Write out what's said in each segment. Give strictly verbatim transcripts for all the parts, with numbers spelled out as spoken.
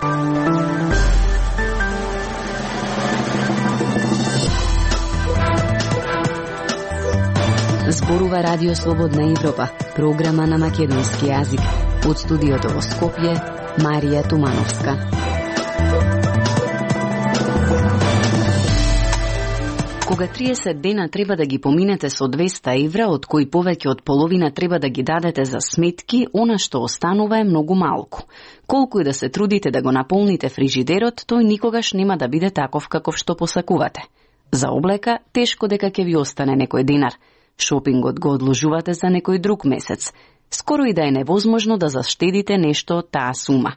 Зборува Радио Слободна Европа, програма на македонски јазик. Од студиото во Скопје, Марија Тумановска. Кога триесет дена треба да ги поминете со двеста евра, од кои повеќе од половина треба да ги дадете за сметки, она што останува е многу малку. Колку и да се трудите да го наполните фрижидерот, тој никогаш нема да биде таков каков што посакувате. За облека, тешко дека ќе ви остане некој динар. Шопингот го одложувате за некој друг месец. Скоро и да е невозможно да заштедите нешто од таа сума.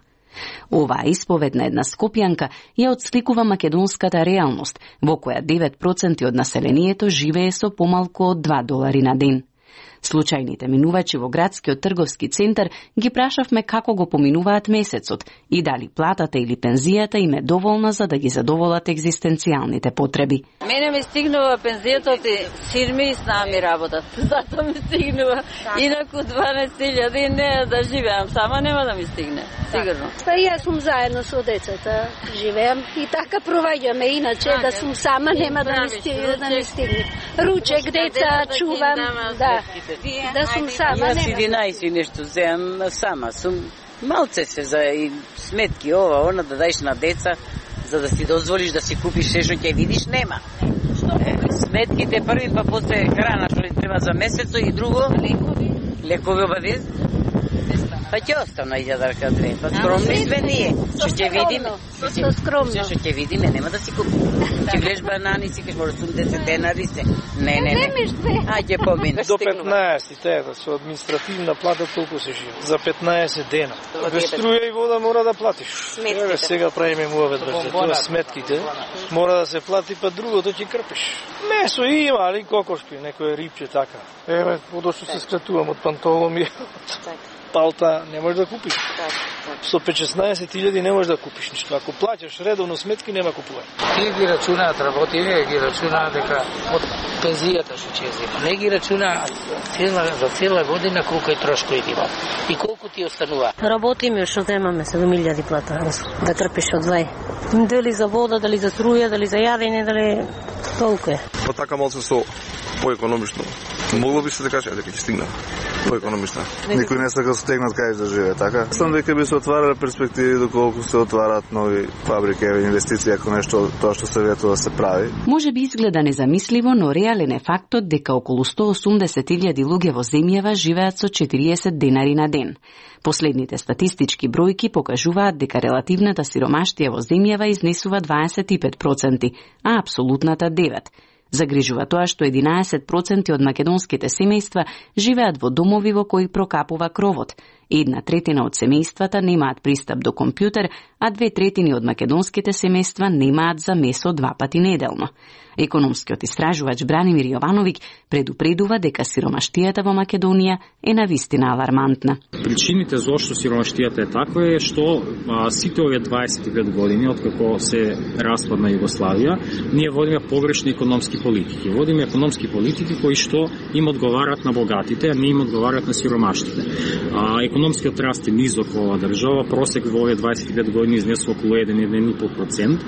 Оваа исповед на една скопјанка ја отсликува македонската реалност, во која девет проценти од населението живее со помалку од два долари на ден. Случајните минувачи во градскиот трговски центар ги прашавме како го поминуваат месецот и дали платата или пензијата им е доволна за да ги задоволат екзистенцијалните потреби. Мене ми стигнува пензијата и син ми и снами работат. Зато ми стигнува. Инаку дванаесет илјади не да живеам сама, нема да ми стигне. Сигурно. Па јас сум заедно со децата, живеам и така проваѓаме, иначе да сум сама нема да ми стигне, да ми стигне. Ручек, деца, чувам, да. Да сум сама, нема. Јас единаесет нешто земам сама, сум малце се за и сметки ова, она да даеш на деца, за да си дозволиш да си купиш се што ќе видиш, нема. Е, сметките први, па после храна што ли треба за месецо и друго, лекови, лекови обавезно. Па ќе остана илјадарка две. Па скромни сме ние. Што ќе видиме? Што скромно. Што ќе видиме, нема да си купиме. Ќе гледаш банани, си кажеш може осумдесет денари се. Не, не, не. Ајде помине. До петнаесет тета со административна плата толку се живе. За петнаесет дена. Без струја и вода мора да платиш. Еве сега правиме муавет врз тоа сметките. Мора да се плати, па другото ќе крпиш. Месо има, али кокошки, некој рибче така. Еве, подошто се скратувам од пантоломи. Палта не можеш да купиш. Со петнаесет илјади не можеш да купиш ништо. Ако плаќаш редовно сметки, нема купување. Тие ги рачунаат работиве, ги рачунаат дека од пензијата што ќе зема. Не ги рачунаат за цела година колку е трошкови има и колку ти останува. Работиме што земаме седум илјади плата да крпиш од двај. Дали за вода, дали за струја, дали за јадење, дали толку е. Па така малку со поекономично. Могло би се да каже дека ќе стигна поекономично. Никој не сака стегнат кај да живее, така? Сам дека би се отварале перспективи доколку се отварат нови фабрики, инвестиции, ако нешто тоа што се ветува да се прави. Може би изгледа незамисливо, но реален е фактот дека околу сто осумдесет илјади луѓе во земјава живеат со четириесет денари на ден. Последните статистички бројки покажуваат дека релативната сиромаштија во земјава изнесува дваесет и пет проценти, а апсолутната девет проценти. Загрижува тоа што единаесет проценти од македонските семејства живеат во домови во кои прокапува кровот. Една третина од семејствата немаат пристап до компјутер, а две третини од македонските семејства немаат за месо два пати неделно. Економскиот истражувач Бранимир Јовановиќ предупредува дека сиромаштијата во Македонија е навистина алармантна. Причините зошто сиромаштијата е таква е што а, сите овие дваесет и пет години откако се распадна Југославија, ние водиме погрешни економски политики. Водиме економски политики кои што им одговарат на богатите, а не им одговарат на сиромаштите. А, економскиот раст е низок во оваа држава, просек во овие дваесет и пет години изнесува околу еден до еден и пол процент.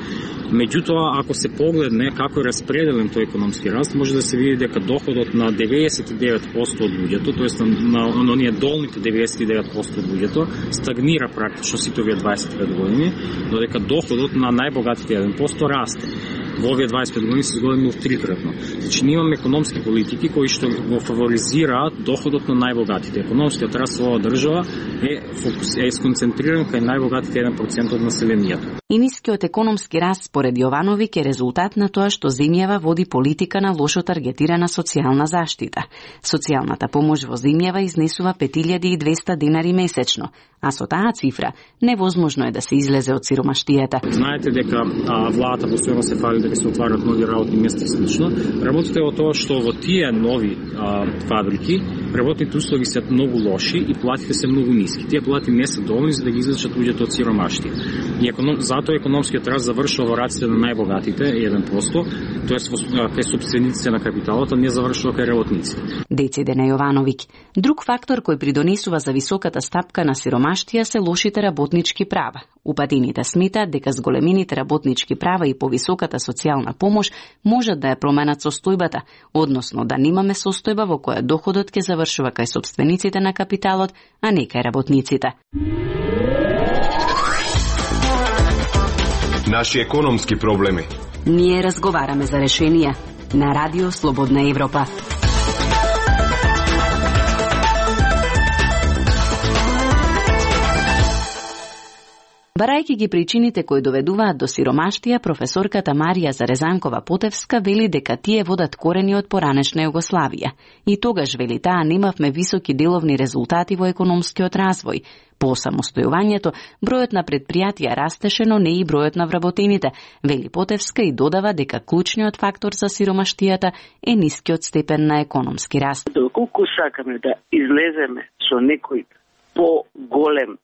Меѓутоа, ако се погледне како е распределен тој економски раст, може да се види дека доходот на деветдесет и девет проценти од луѓето, тоест на, на оние долните деветдесет и девет проценти од луѓето, стагнира практично сите овие дваесет и пет години, додека доходот на најбогатите еден процент расте. Во овие дваесет и пет години се зголемил трикратно. Значи, ние имаме економски политики кои што го фаворизираат доходот на најбогатите. Економскиот раст во оваа држава е, фокус, е сконцентриран кај најбогатите еден процент од населението. И нискиот економски раст според Јовановиќ е резултат на тоа што земјава води политика на лошо таргетирана социјална заштита. Социјалната помош во земјава изнесува пет илјади и двесте денари месечно, а со таа цифра невозможно е да се излезе од сиромаштијата. Знаете дека а, владата постојано се фали дека се отварат нови работни места и слично. Работите е во тоа што во тие нови а, фабрики работните услови се многу лоши и платите се многу ниски. Тие плати не се доволни за да ги излечат луѓето од сиромаштија. И економ, затоа економскиот раст завршува во раците на најбогатите, еден процент, тоест кај сопствениците на капиталот, а не завршува кај работниците. Дециде на Јовановиќ. Друг фактор кој придонесува за високата стапка на сиромаштија се лошите работнички права. Упатините сметаат дека зголемените работнички права и повисоката социјална помош можат да ја променат состојбата, односно да немаме состојба во која доходот ќе завршува кај сопствениците на капиталот, а не кај работниците. Наши економски проблеми. Ние разговараме за решенија на Радио Слободна Европа. Барајќи ги причините кои доведуваат до сиромаштија, професорката Марија Зарезанкова-Потевска вели дека тие водат корени од поранешна Југославија. И тогаш, вели таа, немавме високи деловни резултати во економскиот развој. По самостојувањето, бројот на предпријатија растеше, но не и бројот на вработените, вели Потевска и додава дека клучниот фактор за сиромаштијата е нискиот степен на економски раст. Доколку сакаме да излеземе со некој по-голем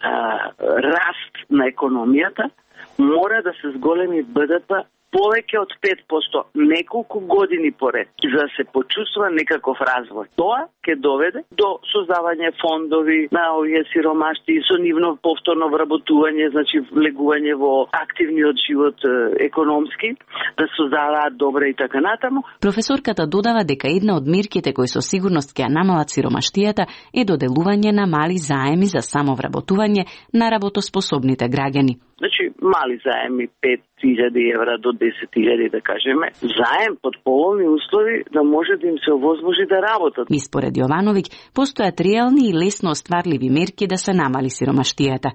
а, раст на економијата, мора да се зголеми Б Д П повеќе од пет проценти неколку години поред, за да се почувствува некаков развој. Тоа ќе доведе до создавање фондови на овие сиромашти, со нивно повторно вработување, значи влегување во активниот живот економски, да создаваат добре и така натаму. Професорката додава дека една од мерките кои со сигурност ќе ја намалат сиромаштијата е доделување на мали заеми за самовработување на работоспособните граѓани. Значи, мали заеми, пет илјади евра до десет илјади, да кажеме, заем под поволни услови да може да им се овозможи да работат. И според Јовановиќ, постојат реални и лесно остварливи мерки да се намали сиромаштијата.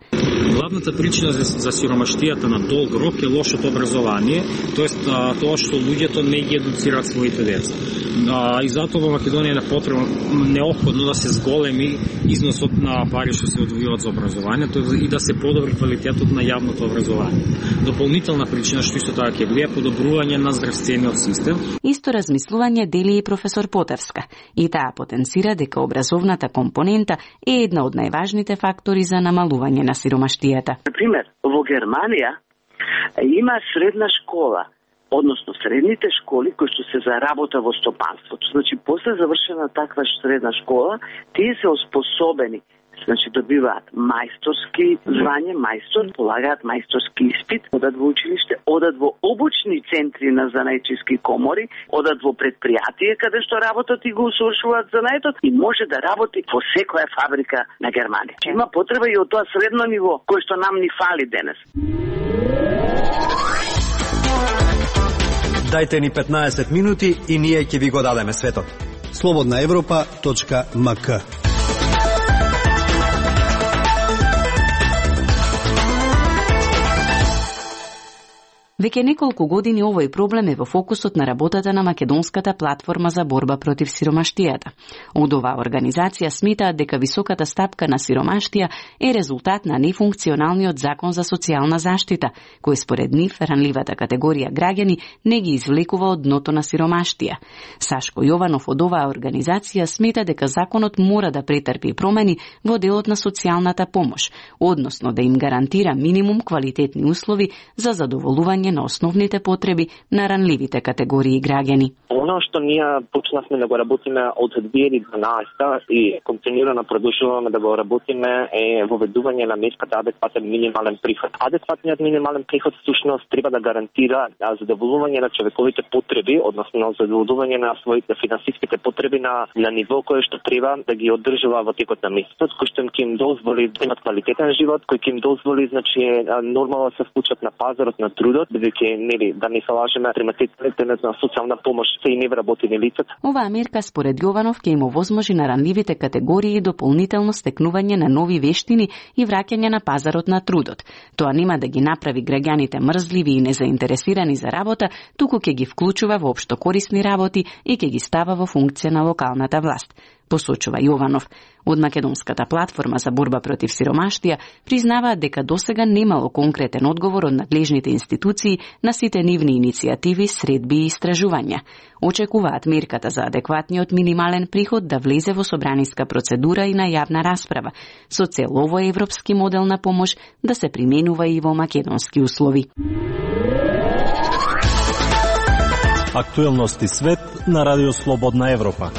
Главната причина за, за сиромаштијата на долг рок е лошото образование, тоест а, тоа што луѓето не ги едуцираат своите деца. А, и затоа во Македонија е потребно неопходно да се зголеми износот на пари што се одвојуваат за образованието и да се подобри квалитетот на јавното образование. Дополнителна причина што исто така ќе биде подобрување на здравствениот систем. Исто размислување дели и професор Потевска. И таа потенцира дека образовната компонента е една од најважните фактори за намалување на сиромаштијата. Например, во Германија има средна школа, односно средните школи кои што се за работа во стопанството. Значи, после завршена таква средна школа, тие се оспособени, значи добиваат мајсторски звање, мајстор, полагаат мајсторски испит, одат во училиште, одат во обучни центри на занајчиски комори, одат во предпријатие каде што работат и го усовршуваат занајтот и може да работи во секоја фабрика на Германија. Има потреба и од тоа средно ниво кој што нам ни фали денес. Дајте ни петнаесет минути и ние ќе ви го дадеме светот. слободна европа точка м к Веќе неколку години овој проблем е во фокусот на работата на Македонската платформа за борба против сиромаштијата. Од оваа организација сметаат дека високата стапка на сиромаштија е резултат на нефункционалниот закон за социјална заштита, кој според нив ранливата категорија граѓани не ги извлекува од дното на сиромаштија. Сашко Јованов од оваа организација смета дека законот мора да претрпи промени во делот на социјалната помош, односно да им гарантира минимум квалитетни услови за задоволување на основните потреби на ранливите категории граѓани. Оно што ние почнавме да го работиме од две илјади и дванаесета и континуирано продолжуваме да го работиме е воведување на мерката адекватен минимален приход. Адекватниот минимален приход всушност треба да гарантира задоволување на човековите потреби, односно задоволување на своите финансиските потреби на на ниво кое што треба да ги одржува во текот на месецот, кој што ќе им дозволи да имат квалитетен живот, кој ќе им дозволи значи нормално да се вклучат на пазарот на трудот, бидејќи нели да не се лажеме, приматите на социјална помош се и невработени лица. Оваа мерка според Јованов ќе им овозможи на ранливите категории дополнително стекнување на нови вештини и враќање на пазарот на трудот. Тоа нема да ги направи граѓаните мрзливи и незаинтересирани за работа, туку ќе ги вклучува во општо корисни работи и ќе ги става во функција на локалната власт. посочува Јованов. Од Македонската платформа за борба против сиромаштија признаваат дека досега немало конкретен одговор од надлежните институции на сите нивни иницијативи, средби и истражувања. Очекуваат мерката за адекватниот минимален приход да влезе во собраниска процедура и на јавна расправа, со цел овој европски модел на помош да се применува и во македонски услови. Актуелности свет на Радио Слободна Европа.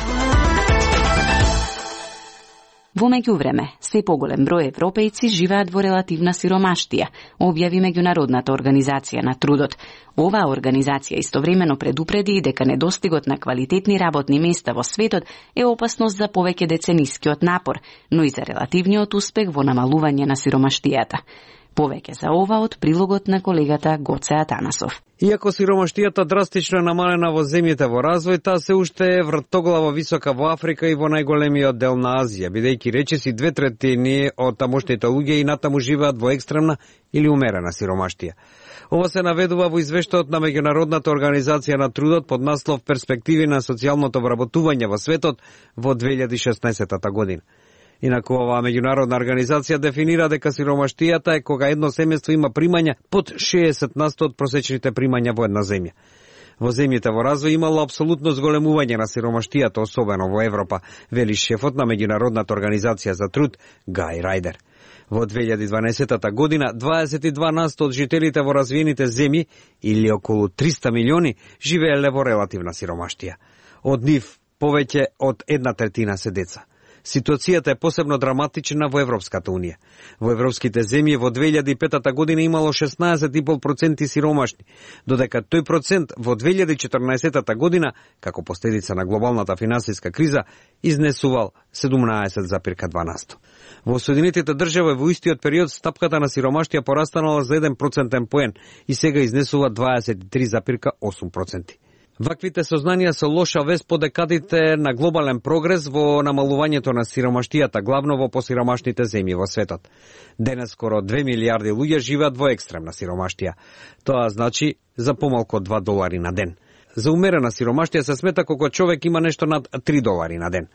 Во меѓувреме, се поголем број европејци живеат во релативна сиромаштија, објави Меѓународната организација на трудот. Оваа организација истовремено предупреди и дека недостигот на квалитетни работни места во светот е опасност за повеќе деценискиот напор, но и за релативниот успех во намалување на сиромаштијата. Повеќе за ова од прилогот на колегата Гоце Атанасов. Иако сиромаштијата драстично намалена во земјите во развој, таа се уште е вртоглаво висока во Африка и во најголемиот дел на Азија, бидејќи речиси две третини од тамошните луѓе и натаму живеат во екстремна или умерена сиромаштија. Ова се наведува во извештајот на Меѓународната организација на трудот под наслов Перспективи на социјалното вработување во светот во две илјади и шеснаесетта година. Инаку оваа меѓународна организација дефинира дека сиромаштијата е кога едно семејство има примања под шеесет на сто од просечните примања во една земја. Во земјите во развој имало апсолутно зголемување на сиромаштијата, особено во Европа, вели шефот на Меѓународната организација за труд Гај Рајдер. Во две илјади и дванаесетта година дваесет и два на сто од жителите во развиените земји, или околу триста милиони, живееле во релативна сиромаштија. Од нив повеќе од една третина се деца. Ситуацијата е посебно драматична во Европската Унија. Во европските земји во две илјади и петта година имало шеснаесет и пет проценти сиромашни, додека тој процент во две илјади и четрнаесетта година, како последица на глобалната финансиска криза, изнесувал седумнаесет зарез два на сто. Во Соединетите држави во истиот период стапката на сиромаштија порастанала за еден процентен поен и сега изнесува дваесет и три зарез осум проценти. Ваквите сознанија се лоша вест по декадите на глобален прогрес во намалувањето на сиромаштијата, главно во посиромашните земји во светот. Денес скоро две милијарди луѓе живеат во екстремна сиромаштија. Тоа значи за помалку од два долари на ден. За умерена сиромаштија се смета кога човек има нешто над три долари на ден.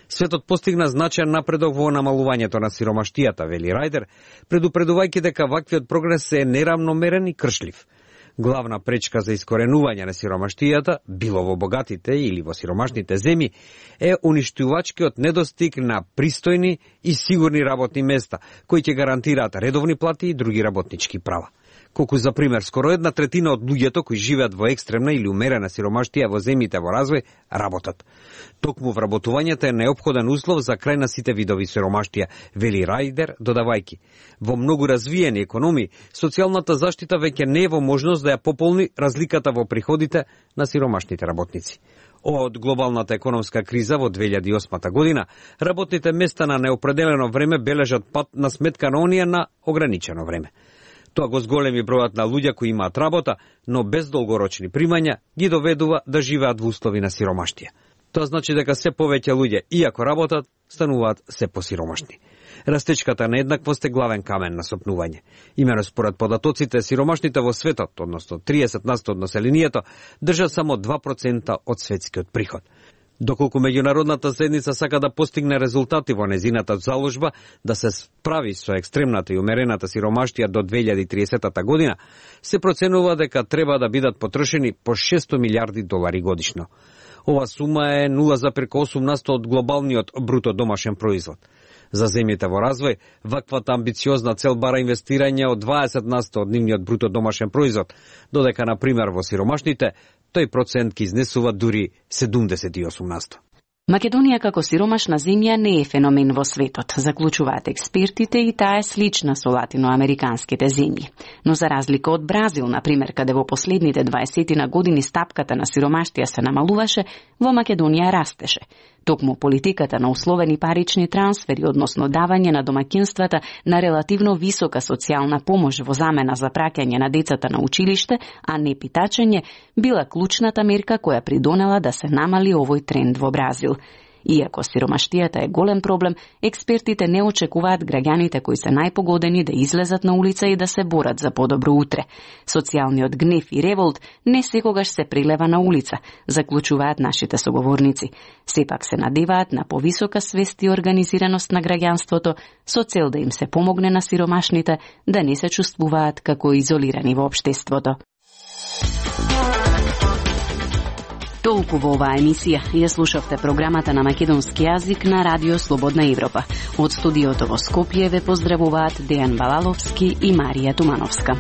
Светот постигна значаен напредок во намалувањето на сиромаштијата, вели Рајдер, предупредувајќи дека ваквиот прогрес е неравномерен и кршлив. Главна пречка за искоренување на сиромаштијата, било во богатите или во сиромашните земји, е уништувачкиот недостиг на пристојни и сигурни работни места, кои ќе гарантираат редовни плати и други работнички права. Колку за пример, скоро една третина од луѓето кои живеат во екстремна или умерена сиромаштија во земјите во развој работат. Токму вработувањето е неопходен услов за крај на сите видови сиромаштија, вели Рајдер, додавајки: во многу развиени економии, социјалната заштита веќе не е во можност да ја пополни разликата во приходите на сиромашните работници. Од глобалната економска криза во две илјади и осма година, работните места на неопределено време бележат пат на сметка на оние на ограничено време. Тоа го зголеми бројот на луѓе кои имаат работа, но без долгорочни примања, ги доведува да живеат во услови на сиромаштија. Тоа значи дека се повеќе луѓе, иако работат, стануваат се посиромашни. Растечката нееднаквост е главен камен на сопнување. Имено според податоците, сиромашните во светот, односно триесет на сто од населението, држат само два процента од светскиот приход. Доколку меѓународната заедница сака да постигне резултати во незината заложба да се справи со екстремната и умерената сиромаштија до две илјади и триесетта година, се проценува дека треба да бидат потрошени по шесто милијарди долари годишно. Ова сума е нула зарез осум на сто од глобалниот бруто домашен производ. За земјите во развој, ваквата амбициозна цел бара инвестирање од дваесет на сто од нивниот бруто домашен производ, додека, на пример, во сиромашните, тој процент ки изнесува дури седумдесет и осум на сто. Македонија како сиромашна земја не е феномен во светот, заклучуваат експертите, и таа е слична со латиноамериканските земји. Но за разлика од Бразил, например, каде во последните дваесетина години стапката на сиромаштија се намалуваше, во Македонија растеше. Токму политиката на условени парични трансфери, односно давање на домаќинствата на релативно висока социјална помош во замена за праќање на децата на училиште, а не питачење, била клучната мерка која придонела да се намали овој тренд во Бразил. Иако сиромаштијата е голем проблем, експертите не очекуваат граѓаните кои се најпогодени да излезат на улица и да се борат за подобро утре. Социјалниот гнев и револт не секогаш се прилева на улица, заклучуваат нашите соговорници. Сепак се надеваат на повисока свест и организираност на граѓанството со цел да им се помогне на сиромашните да не се чувствуваат како изолирани во општеството. Толку во оваа емисија. Ја слушавте програмата на македонски јазик на Радио Слободна Европа. Од студиото во Скопје ве поздравуваат Дејан Балаловски и Марија Тумановска.